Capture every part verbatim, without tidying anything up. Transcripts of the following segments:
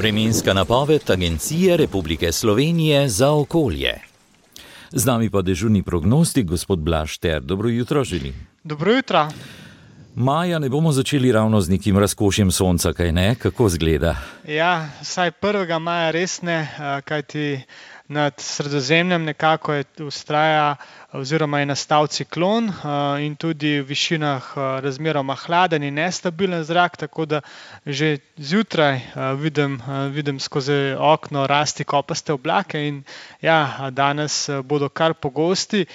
Vremenska napoved Agencije Republike Slovenije za okolje. Z nami pa dežurni prognostik, gospod Blaž Ter. Dobro jutro želim. Dobro jutro. Maja ne bomo začeli ravno z nekim razkošjem sonca, kaj ne? Kako zgleda? Ja, vsaj prvega maja res ne, kajti nad Sredozemljem nekako je vztraja oziroma je nastal ciklon in tudi v višinah razmeroma hladen in nestabilen zrak, tako da že zjutraj vidim, vidim skozi okno rasti kopaste oblake in ja, danes bodo kar pogosti.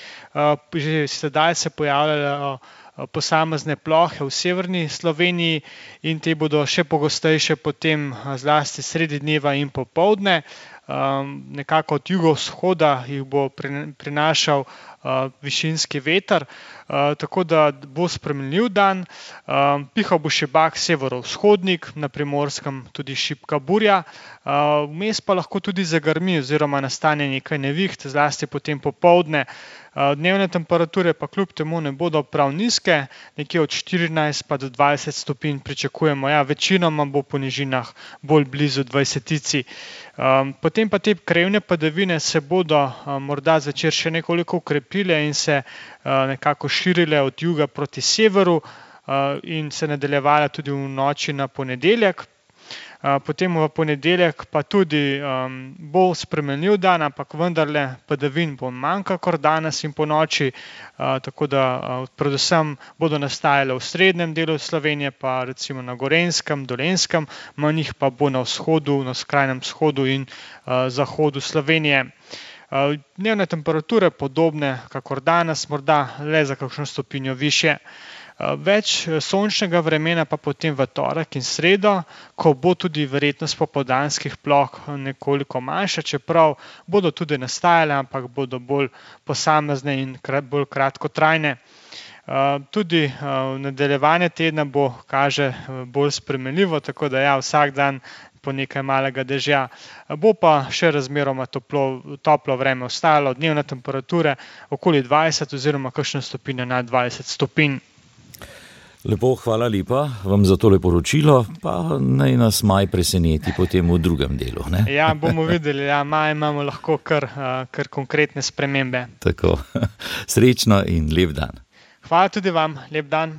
Že sedaj se pojavljajo posamezne plohe v severni Sloveniji in te bodo še pogostejše potem zlasti sredi dneva in popoldne. Um, nekako od jugovzhoda jih bo prinašal uh, višinski veter, uh, tako da bo spremenljiv dan. Um, pihal bo šibak severovzhodnik, na Primorskem tudi šibka burja. Uh, vmes pa lahko tudi zagrmi oziroma nastane nekaj neviht, zlasti potem popoldne. Dnevne temperature pa kljub temu ne bodo prav nizke, nekje od štirinajst pa do dvajset stopinj pričakujemo. Ja, večinoma bo po nižinah bolj blizu dvajsetici. Potem pa te krajevne padavine se bodo morda zvečer še nekoliko ukrepile in se nekako širile od juga proti severu in se nadaljevale tudi v noči na ponedeljek. Potem v ponedeljek pa tudi um, bo spremenljiv dan, ampak vendarle padavin bo manj kakor danes in po noči, uh, tako da uh, predvsem bodo nastajale v srednjem delu Slovenije, pa recimo na Gorenjskem, Dolenjskem, manj jih pa bo na vzhodu, na skrajnem vzhodu in uh, zahodu Slovenije. Uh, dnevne temperature podobne kakor danes, morda le za kakšno stopinjo višje. Več sončnega vremena pa potem v torek in sredo, ko bo tudi verjetnost popoldanskih ploh nekoliko manjša, čeprav bodo tudi nastajale, ampak bodo bolj posamezne in bolj kratkotrajne. Tudi nadaljevanje tedna bo, kaže, bolj spremenljivo, tako da ja, vsak dan po nekaj malega dežja. Bo pa še razmeroma toplo, toplo vreme ostalo, dnevne temperature okoli dvajset oziroma kakšne stopinje nad dvajset stopinj. Lepo, hvala lepa vam za tole poročilo, pa naj nas maj preseneti potem v drugem delu. Ne? Ja, bomo videli, ja, maj imamo lahko kar, kar konkretne spremembe. Tako, srečno in lep dan. Hvala tudi vam, lep dan.